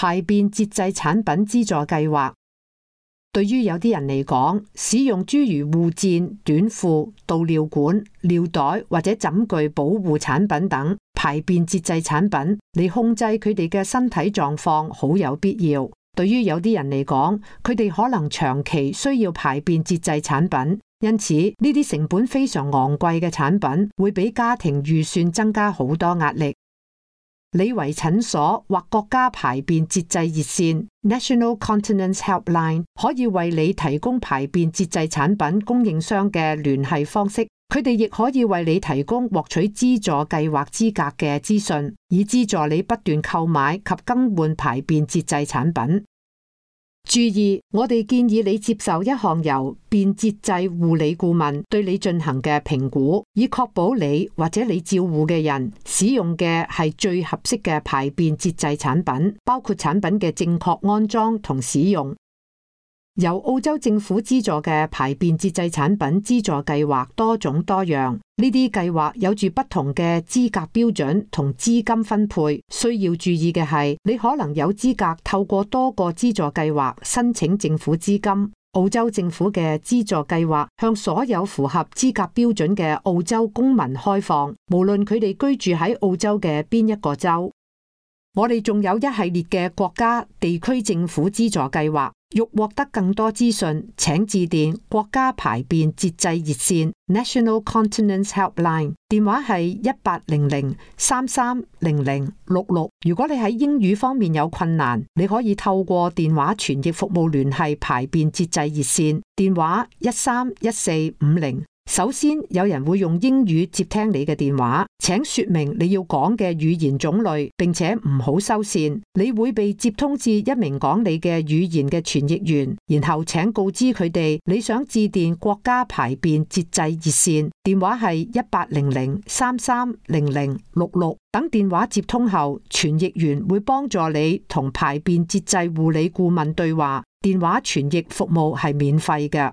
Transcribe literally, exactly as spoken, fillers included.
排便節制產品資助計劃。對於有啲人嚟講，使用諸如護墊、短褲、導尿管、尿袋或者枕具保護產品等排便節制產品嚟控制佢哋嘅身體狀況，好有必要。對於有啲人嚟講，佢哋可能長期需要排便節制產品，因此呢啲成本非常昂貴嘅產品會俾家庭預算增加好多壓力。李維診所或國家排便節制熱線 National Continence Helpline 可以為你提供排便節制產品供應商嘅聯繫方式，佢哋亦可以為你提供獲取資助計劃資格嘅資訊，以資助你不斷購買及更換排便節制產品。注意，我哋建議你接受一項由便節制護理顧問對你進行嘅評估，以確保你或者你照顧嘅人使用嘅係最合適嘅排便節制產品，包括產品嘅正確安裝同使用。由澳洲政府資助嘅排便節制產品資助計劃多種多樣，呢啲計劃有住不同嘅資格標準同資金分配。需要注意嘅係，你可能有資格透過多個資助計劃申請政府資金。澳洲政府嘅資助計劃向所有符合資格標準嘅澳洲公民開放，無論佢哋居住喺澳洲嘅邊一個州。我哋仲有一系列嘅國家、地區政府資助計劃。欲獲得更多資訊，請致電國家排便節制熱線 National Continence Helpline， 電話係一八零零三三零零六六。如果你喺英語方面有困難，你可以透過電話傳譯服務聯繫排便節制熱線，電話一三一四五零。首先，有人會用英語接聽你嘅電話，請說明你要講嘅語言種類，並且唔好收線。你會被接通至一名講你嘅語言嘅傳譯員，然後請告知佢哋你想致電國家排便節制熱線，電話係一八零零三三零零六六。等電話接通後，傳譯員會幫助你同排便節制護理顧問對話，電話傳譯服務係免費嘅。